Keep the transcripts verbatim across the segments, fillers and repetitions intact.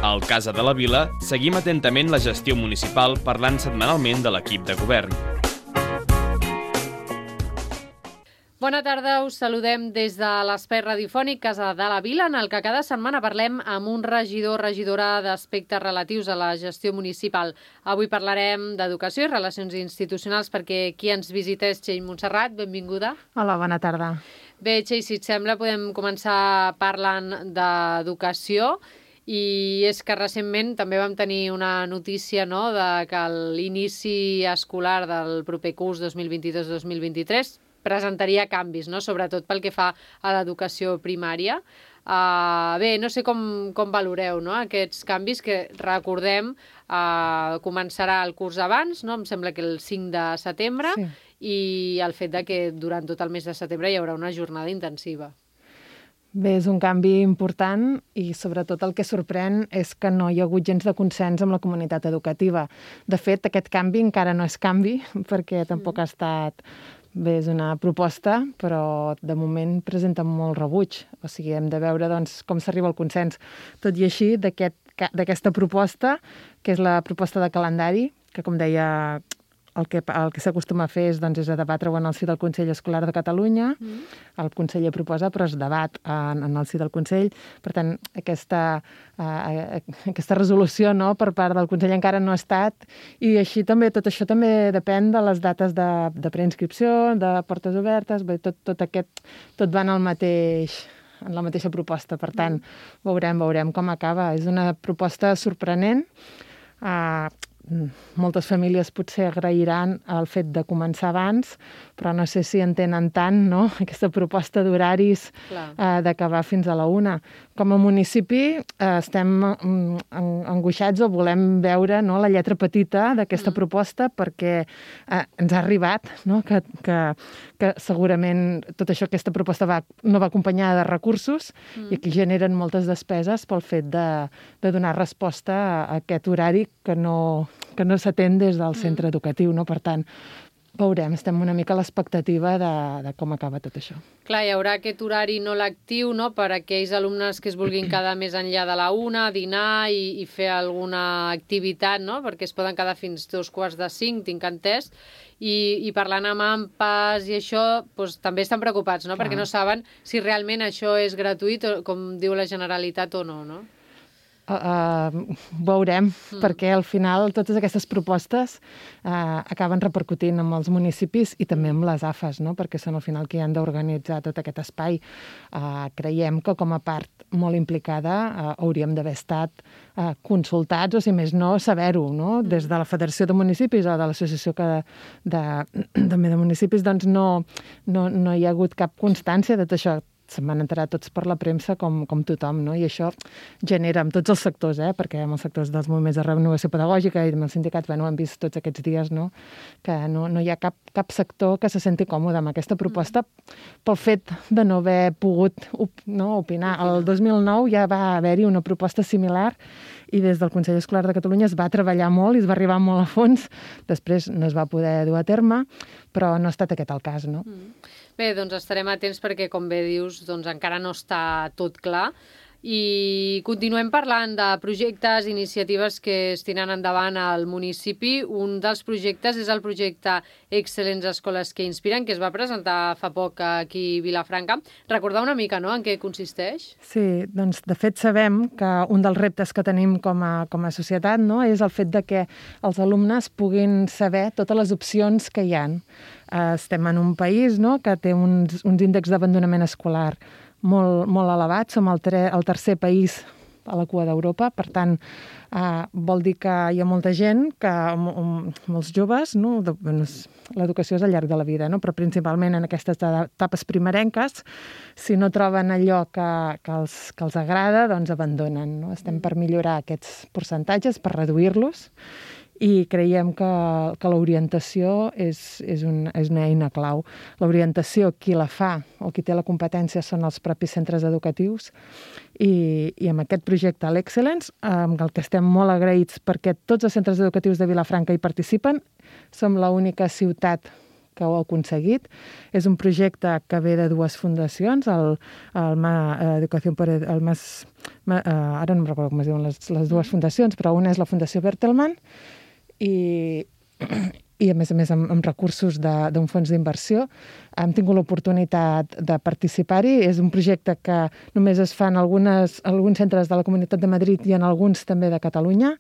Al Casa de la Vila seguim atentament la gestió municipal parlant setmanalment de l'equip de govern. Bona tarda, us saludem des de l'espai radiofònic Casa de la Vila, en el que cada setmana parlem amb un regidor o regidora d'aspectes relatius a la gestió municipal. Avui parlarem d'educació i relacions institucionals perquè qui ens visita és Txell Montserrat. Benvinguda. Hola, bona tarda. Bé, Txell, si et sembla, podem començar parlant d'educació. I és que recentment també vam tenir una notícia, no?, de que l'inici escolar del proper curs dos mil vint-i-dos dos mil vint-i-tres presentaria canvis, no?, sobretot pel que fa a l'educació primària. Uh, bé, no sé com, com valoreu, no?, aquests canvis que, recordem, uh, començarà el curs abans, no?, em sembla que el cinc de setembre, sí. I el fet de que durant tot el mes de setembre hi haurà una jornada intensiva. Bé, és un canvi important i sobretot el que sorprèn és que no hi ha hagut gens de consens amb la comunitat educativa. De fet, aquest canvi encara no és canvi perquè tampoc ha estat... Bé, és una proposta, però de moment presenta molt rebuig. O sigui, hem de veure doncs, com s'arriba al consens. Tot i així, d'aquest, d'aquesta proposta, que és la proposta de calendari, que com deia... El que, el que s'acostuma a fer és, doncs, és a debatre-ho en el si del Consell Escolar de Catalunya. Mm. El conseller proposa, però es debat en, en el si del Consell. Per tant, aquesta, uh, aquesta resolució, no?, per part del Consell encara no ha estat. I així també, tot això també depèn de les dates de, de preinscripció, de portes obertes, bé, tot, tot aquest, tot va en el mateix... en la mateixa proposta. Per tant, veurem, veurem com acaba. És una proposta sorprenent. Uh, moltes famílies potser agrairan el fet de començar abans, però no sé si entenen tant, no?, aquesta proposta d'horaris eh, d'acabar fins a la una. Com a municipi eh, estem mm, angoixats o volem veure, no?, la lletra petita d'aquesta mm. proposta perquè eh, ens ha arribat, no?, que, que, que segurament tot això, aquesta proposta va, no va acompanyada de recursos mm. i aquí generen moltes despeses pel fet de, de donar resposta a aquest horari que no... que no s'atén des del centre mm. educatiu, no? Per tant, veurem, estem una mica a l'expectativa de, de com acaba tot això. Clar, hi haurà aquest horari no lectiu, no?, per a aquells alumnes que es vulguin quedar més enllà de la una, dinar i, i fer alguna activitat, no?, perquè es poden quedar fins dos quarts de cinc, tinc entès, i, i parlant amb A M P A S i això, doncs, també estan preocupats, no?, Clar. Perquè no saben si realment això és gratuït, o, com diu la Generalitat, o no, no? Uh, uh, veurem, mm. perquè al final totes aquestes propostes uh, acaben repercutint amb els municipis i també amb les A F As, no?, perquè són al final qui han d'organitzar tot aquest espai. Uh, creiem que com a part molt implicada uh, hauríem d'haver estat uh, consultats, o si més no, saber-ho, no?, des de la Federació de Municipis o de l'Associació que de, també de municipis, doncs no, no, no hi ha hagut cap constància de tot això. Se'n van enterar tots per la premsa com, com tothom, no? I això genera amb tots els sectors, eh? Perquè amb els sectors dels moviments de renovació pedagògica i amb els sindicats, bueno, hem vist tots aquests dies, no?, que no, no hi ha cap, cap sector que se senti còmode amb aquesta proposta pel fet de no haver pogut op, no, opinar. El dos mil nou ja va haver-hi una proposta similar i des del Consell Escolar de Catalunya es va treballar molt i es va arribar molt a fons. Després no es va poder dur a terme, però no ha estat aquest el cas, no? Mm. Bé, doncs estarem atents perquè, com bé dius, doncs encara no està tot clar. I continuem parlant de projectes, iniciatives que es tiren endavant al municipi. Un dels projectes és el projecte Excel·lents Escoles que Inspiren, que es va presentar fa poc aquí a Vilafranca. Recordar una mica, no?, en què consisteix? Sí, doncs de fet sabem que un dels reptes que tenim com a, com a societat, no?, és el fet de que els alumnes puguin saber totes les opcions que hi ha. Estem en un país, no?, que té uns, uns índexs d'abandonament escolar molt, molt elevats. Som el, tre, el tercer país a la cua d'Europa. Per tant, eh, vol dir que hi ha molta gent, que molts joves, no? De, bueno, l'educació és al llarg de la vida, no? Però principalment en aquestes etapes primerenques, si no troben allò que, que, els, que els agrada, doncs abandonen, no? Estem per millorar aquests percentatges, per reduir-los, i creiem que, que l'orientació és, és, un, és una eina clau. L'orientació, qui la fa o qui té la competència són els propis centres educatius i, i amb aquest projecte, l'Excel·lents, amb el que estem molt agraïts perquè tots els centres educatius de Vilafranca hi participen, som l'única ciutat que ho ha aconseguit. És un projecte que ve de dues fundacions, el, el Ma, Educació per... El Mas, Ma, uh, ara no em recordo com es diuen les, les dues fundacions, però una és la Fundació Bertelsmann i... i a més a més amb, amb recursos d'un fons d'inversió. Hem tingut l'oportunitat de participar-hi. És un projecte que només es fa en algunes, alguns centres de la Comunitat de Madrid i en alguns també de Catalunya.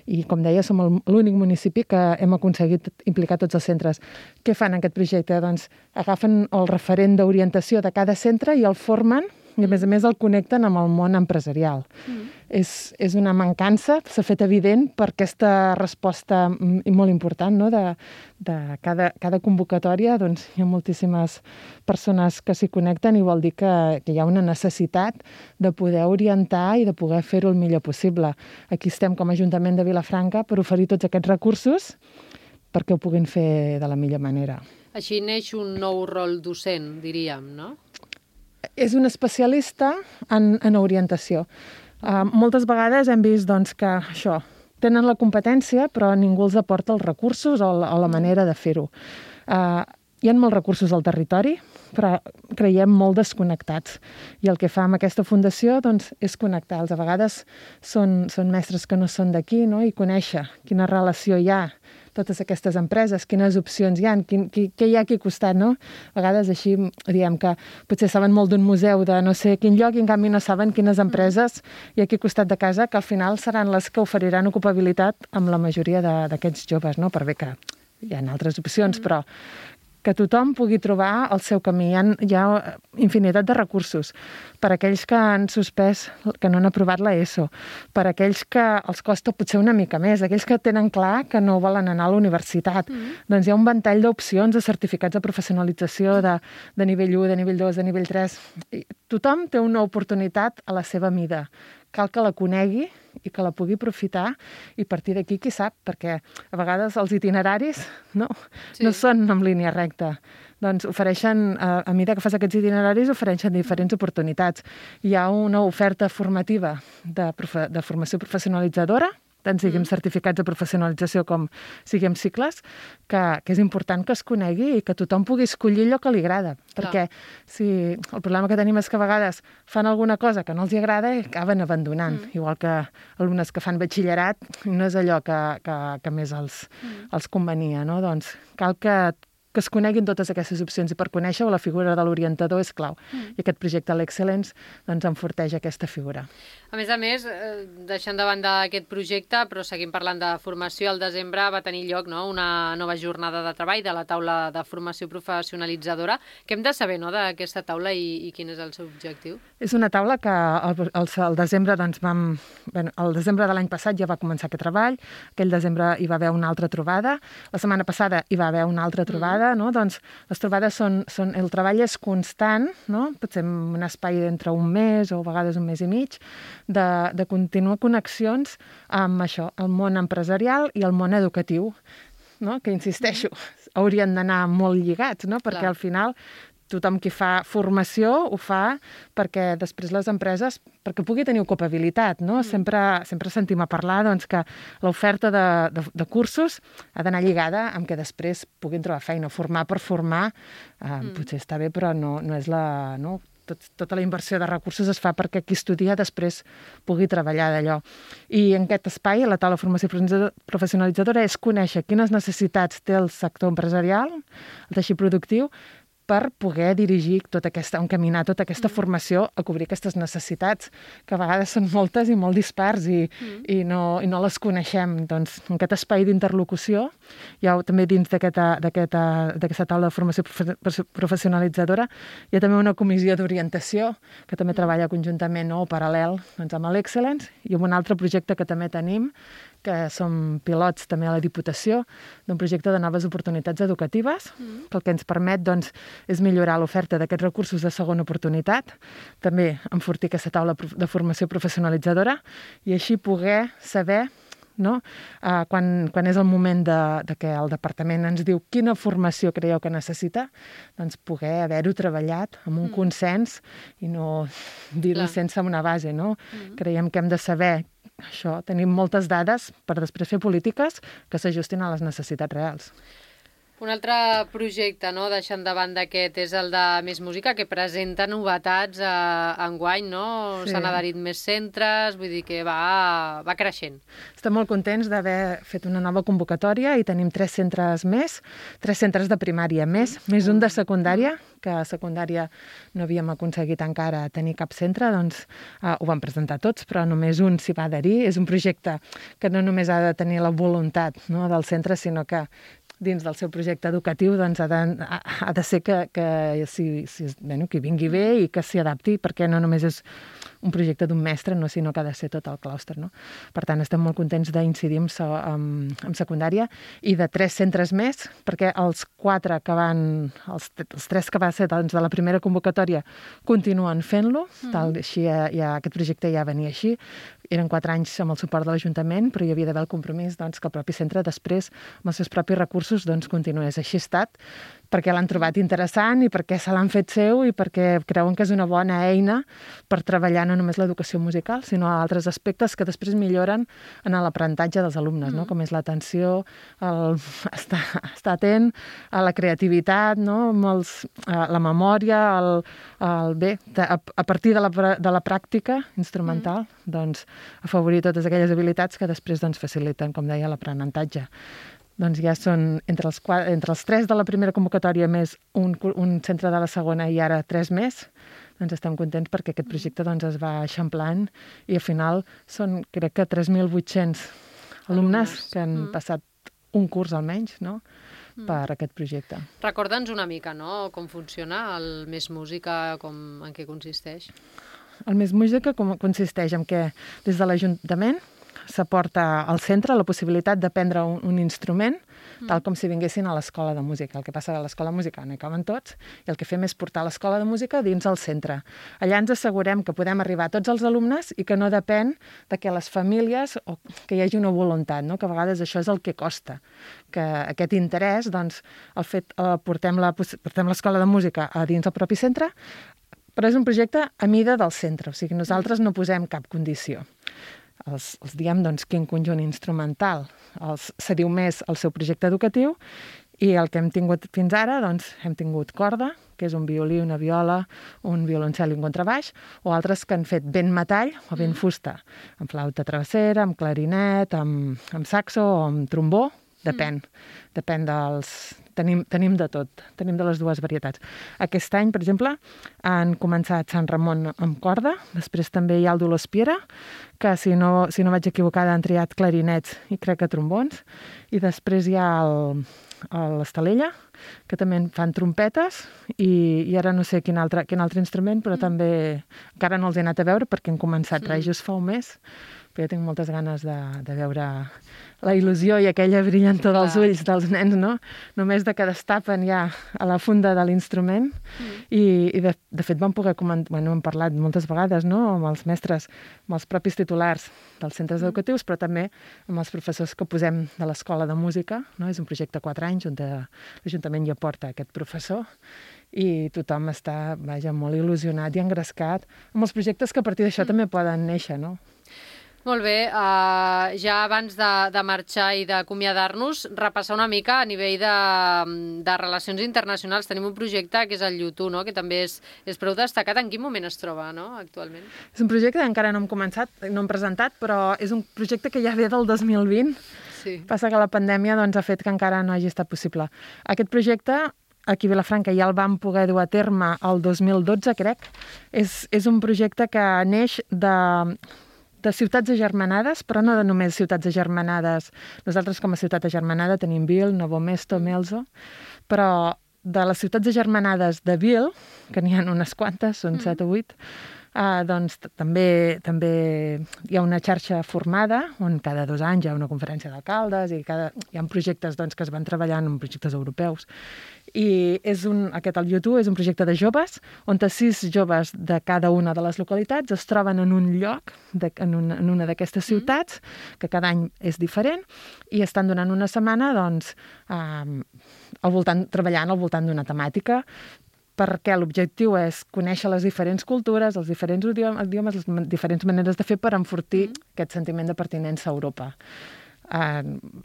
I, com deia, som l'únic municipi que hem aconseguit implicar tots els centres. Què fan en aquest projecte? Doncs agafen el referent d'orientació de cada centre i el formen i, a més a més, el connecten amb el món empresarial. Mm. És, és una mancança, s'ha fet evident per aquesta resposta molt important, no? de, de cada, cada convocatòria. Doncs, hi ha moltíssimes persones que s'hi connecten i vol dir que, que hi ha una necessitat de poder orientar i de poder fer-ho el millor possible. Aquí estem com a Ajuntament de Vilafranca per oferir tots aquests recursos perquè ho puguin fer de la millor manera. Així neix un nou rol docent, diríem, no? És un especialista en, en orientació. Uh, moltes vegades hem vist doncs, que això, tenen la competència però ningú els aporta els recursos o la, o la manera de fer-ho. Uh, hi ha molts recursos al territori, però creiem molt desconnectats. I el que fa amb aquesta fundació doncs, és connectar-los. A vegades són, són mestres que no són d'aquí, no? I conèixer quina relació hi ha totes aquestes empreses, quines opcions hi ha, quin, qui, què hi ha aquí al costat, no? A vegades així diem que potser saben molt d'un museu de no sé quin lloc i en canvi no saben quines empreses hi ha aquí al costat de casa que al final seran les que oferiran ocupabilitat amb la majoria d'aquests joves, no? Per bé que hi ha altres opcions, però que tothom pugui trobar el seu camí. Hi ha, hi ha infinitat de recursos per a aquells que han suspès, que no han aprovat l'ESO, per a aquells que els costa potser una mica més, aquells que tenen clar que no volen anar a la universitat. Mm. Doncs hi ha un ventall d'opcions de certificats de professionalització de, de nivell u, de nivell dos, de nivell tres. I tothom té una oportunitat a la seva mida. Cal que la conegui i que la pugui aprofitar i a partir d'aquí, qui sap, perquè a vegades els itineraris no, sí. no són en línia recta. Doncs ofereixen, a, a mesura que fas aquests itineraris, ofereixen diferents oportunitats. Hi ha una oferta formativa de, profe, de formació professionalitzadora, tant siguem mm. certificats de professionalització com siguem cicles, que, que és important que es conegui i que tothom pugui escollir allò que li agrada. Perquè si el problema que tenim és que a vegades fan alguna cosa que no els agrada i acaben abandonant. Mm. Igual que alumnes que fan batxillerat, no és allò que, que, que més els, mm. els convenia, no? Doncs cal que que es coneguin totes aquestes opcions i per conèixer-ho la figura de l'orientador és clau. Mm. I aquest projecte l'Excel·lence doncs, enforteix aquesta figura. A més a més, eh, deixant de banda aquest projecte, però seguim parlant de formació, al desembre va tenir lloc no, una nova jornada de treball de la taula de formació professionalitzadora. Què hem de saber no, d'aquesta taula i, i quin és el seu objectiu? És una taula que al, al, al desembre doncs, vam... Bé, al desembre de l'any passat ja va començar aquest treball, aquell desembre hi va haver una altra trobada, la setmana passada hi va haver una altra trobada, mm. no? Doncs les trobades són, són... El treball és constant, no? Potser en un espai d'entre un mes o a vegades un mes i mig, de, de continuar connexions amb això, el món empresarial i el món educatiu, no? Que insisteixo, haurien d'anar molt lligats, no? Perquè Clar. Al final tothom qui fa formació ho fa perquè després les empreses, perquè pugui tenir ocupabilitat, no? Mm. Sempre, sempre sentim a parlar doncs, que l'oferta de, de, de cursos ha d'anar lligada amb que després puguin trobar feina. Formar per formar eh, mm. potser està bé, però no, no és la... No? Tot, tota la inversió de recursos es fa perquè qui estudia després pugui treballar d'allò. I en aquest espai, a la taula de formació professionalitzadora, és conèixer quines necessitats té el sector empresarial, el teixit productiu, per poder dirigir tota aquesta, encaminar tota aquesta mm. formació a cobrir aquestes necessitats, que a vegades són moltes i molt dispars i, mm. i, no, i no les coneixem. Doncs en aquest espai d'interlocució, hi ha també dins d'aquesta taula de formació professionalitzadora, hi ha també una comissió d'orientació que també mm. treballa conjuntament no, o paral·lel doncs, amb l'Excel·lence i amb un altre projecte que també tenim, que som pilots també a la Diputació d'un projecte de noves oportunitats educatives, mm. que el que ens permet doncs, és millorar l'oferta d'aquests recursos de segona oportunitat, també enfortir aquesta taula de formació professionalitzadora i així poder saber no? Uh, quan, quan és el moment de, de que el departament ens diu quina formació creieu que necessita, doncs poder haver-ho treballat amb un mm. consens i no dir-ho sense una base. No? Mm. Creiem que hem de saber això, tenim moltes dades per després fer polítiques que s'ajustin a les necessitats reals. Un altre projecte, no?, deixant de banda aquest, és el de Més Música, que presenta novetats a, a enguany, no? Sí. S'han adherit més centres, vull dir que va, va creixent. Estem molt contents d'haver fet una nova convocatòria i tenim tres centres més, tres centres de primària més, més un de secundària, que a secundària no havíem aconseguit encara tenir cap centre, doncs eh, ho vam presentar tots, però només un s'hi va adherir. És un projecte que no només ha de tenir la voluntat, no?, del centre, sinó que dins del seu projecte educatiu doncs, ha, de, ha de ser que, que, si, si, bueno, que vingui bé i que s'hi adapti, perquè no només és un projecte d'un mestre, no, sinó que ha de ser tot el clúster. No? Per tant, estem molt contents d'incidir en, en, en secundària i de tres centres més, perquè els quatre que van, els, els tres que va ser doncs, de la primera convocatòria continuen fent-lo, mm. tal, així ja, ja, aquest projecte ja venia així. Eren quatre anys amb el suport de l'Ajuntament, però hi havia d'haver el compromís doncs, que el propi centre després, amb els seus propis recursos, doncs, continués. Així ha estat, perquè l'han trobat interessant i perquè se l'han fet seu i perquè creuen que és una bona eina per treballar no només l'educació musical, sinó altres aspectes que després milloren en l'aprenentatge dels alumnes, mm. no? Com és l'atenció, el, estar, estar atent a la creativitat, no? Molts, a la memòria, el, el, bé, a, a partir de la, de la pràctica instrumental, mm. doncs, afavorir totes aquelles habilitats que després doncs, faciliten, com deia, l'aprenentatge. Doncs ja són entre els, entre els tres de la primera convocatòria més un, un centre de la segona i ara tres més, doncs estem contents perquè aquest projecte doncs, es va eixamplant i al final són, crec que, tres mil vuit-cents alumnes que han mm. passat un curs almenys, no?, mm. per aquest projecte. Recorda'ns una mica, no?, com funciona el Més Música, com, en què consisteix. El Més Música com consisteix en què des de l'Ajuntament s'aporta al centre la possibilitat d'aprendre un, un instrument, mm. tal com si vinguessin a l'escola de música. El que passa a l'escola de música no hi caben tots, i el que fem és portar l'escola de música dins el centre. Allà ens assegurem que podem arribar a tots els alumnes i que no depèn de que les famílies o que hi hagi una voluntat, no? Que a vegades això és el que costa. Que aquest interès, doncs, el fet, eh, portem la, portem l'escola de música a dins el propi centre, però és un projecte a mida del centre, o sigui, nosaltres no posem cap condició. Els, els diem, doncs, quin conjunt instrumental els cediu més al seu projecte educatiu i el que hem tingut fins ara, doncs, hem tingut corda, que és un violí, una viola, un violoncel i un contrabaix, o altres que han fet vent metall o vent fusta, amb flauta travessera, amb clarinet, amb, amb saxo o amb trombó, depèn, mm. depèn dels... Tenim, tenim de tot, tenim de les dues varietats. Aquest any, per exemple, han començat Sant Ramon amb corda, després també hi ha el Dolors Piera, que si no, si no vaig equivocada han triat clarinets i crec que trombons, i després hi ha el, l'Estalella, que també fan trompetes, i, i ara no sé quin altre, quin altre instrument, però mm. també encara no els he anat a veure perquè han començat mm. res just fa un mes, però jo tinc moltes ganes de, de veure la il·lusió i aquella brillantor dels ulls dels nens, no? Només de que destapen ja a la funda de l'instrument. Mm. I, i de, de fet vam poder comentar, bueno, hem parlat moltes vegades, no?, amb els mestres, amb els propis titulars dels centres mm. educatius, però també amb els professors que posem de l'escola de música, no? És un projecte de quatre anys on l'Ajuntament hi aporta aquest professor i tothom està, vaja, molt il·lusionat i engrescat amb els projectes que a partir d'això mm. també poden néixer, no? Molt bé, uh, ja abans de, de marxar i d'acomiadar-nos, repassar una mica a nivell de, de relacions internacionals. Tenim un projecte que és el YouTube, no?, que també és, és prou destacat. En quin moment es troba, no?, actualment? És un projecte que encara no hem començat, no hem presentat, però és un projecte que ja ve del dos mil vint. Sí. Passa que la pandèmia doncs, ha fet que encara no hagi estat possible. Aquest projecte, aquí a Vilafranca, ja el vam poder dur a terme el dos mil dotze, crec. És, és un projecte que neix de... de ciutats agermanades, però no de només ciutats agermanades. Nosaltres com a ciutat agermanada tenim Vil, Novo Mesto, Melzo, però de les ciutats agermanades de Vil, que n'hi ha unes quantes, són set o vuit, eh, doncs també, també hi ha una xarxa formada on cada dos anys hi ha una conferència d'alcaldes i cada, hi ha projectes doncs, que es van treballant en projectes europeus. I és un, aquest el YouTube és un projecte de joves on sis joves de cada una de les localitats es troben en un lloc, de, en, una, en una d'aquestes ciutats, que cada any és diferent, i estan donant una setmana doncs, eh, al voltant, treballant al voltant d'una temàtica, perquè l'objectiu és conèixer les diferents cultures, els diferents idiomes, les diferents maneres de fer per enfortir mm. aquest sentiment de pertinença a Europa. ha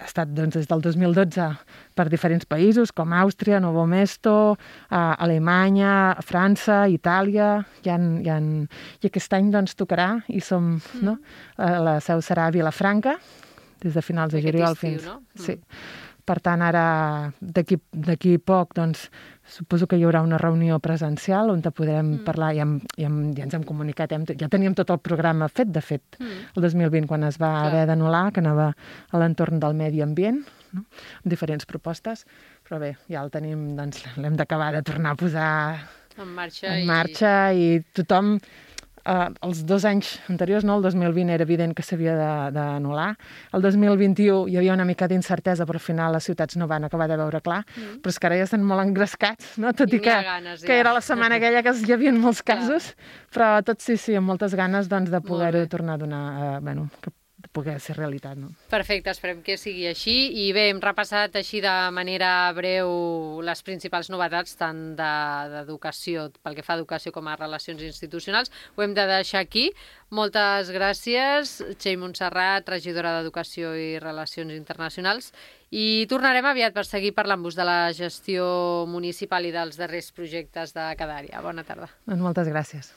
estat doncs, des del dos mil dotze per diferents països com Àustria, Novo Mesto, Alemanya, França, Itàlia, hi ha, hi ha... i aquest any doncs, tocarà i som, mm. no? La seu serà a Vilafranca, des de finals de juliol fins... No? Mm. Sí. Per tant, ara, d'aquí poc, doncs, suposo que hi haurà una reunió presencial on podrem mm. parlar, ja, ja, ja ens hem comunicat, hem, ja teníem tot el programa fet, de fet, mm. el dos mil vint, quan es va Clar. haver d'anul·lar, que anava a l'entorn del medi ambient, no? Amb diferents propostes, però bé, ja el tenim, doncs, l'hem d'acabar de tornar a posar en marxa, en marxa i... i tothom... Uh, els dos anys anteriors, no? El dos mil vint era evident que s'havia d'anul·lar. El dos mil vint-i-u hi havia una mica d'incertesa, però al final les ciutats no van acabar de veure clar. Mm. Però és que ara ja estan molt engrescats, no? Tot i, i que, ganes, ja. que era la setmana aquella que hi havia molts casos, però tots sí, sí, amb moltes ganes doncs, de poder-ho tornar a donar, uh, bueno, que de poder ser realitat, no? Perfecte, esperem que sigui així. I bé, hem repassat així de manera breu les principals novetats, tant d'educació, de, pel que fa a educació com a relacions institucionals. Ho hem de deixar aquí. Moltes gràcies, Txell Montserrat, regidora d'Educació i Relacions Internacionals. I tornarem aviat per seguir parlant-vos de la gestió municipal i dels darrers projectes de cada àrea. Bona tarda. Doncs moltes gràcies.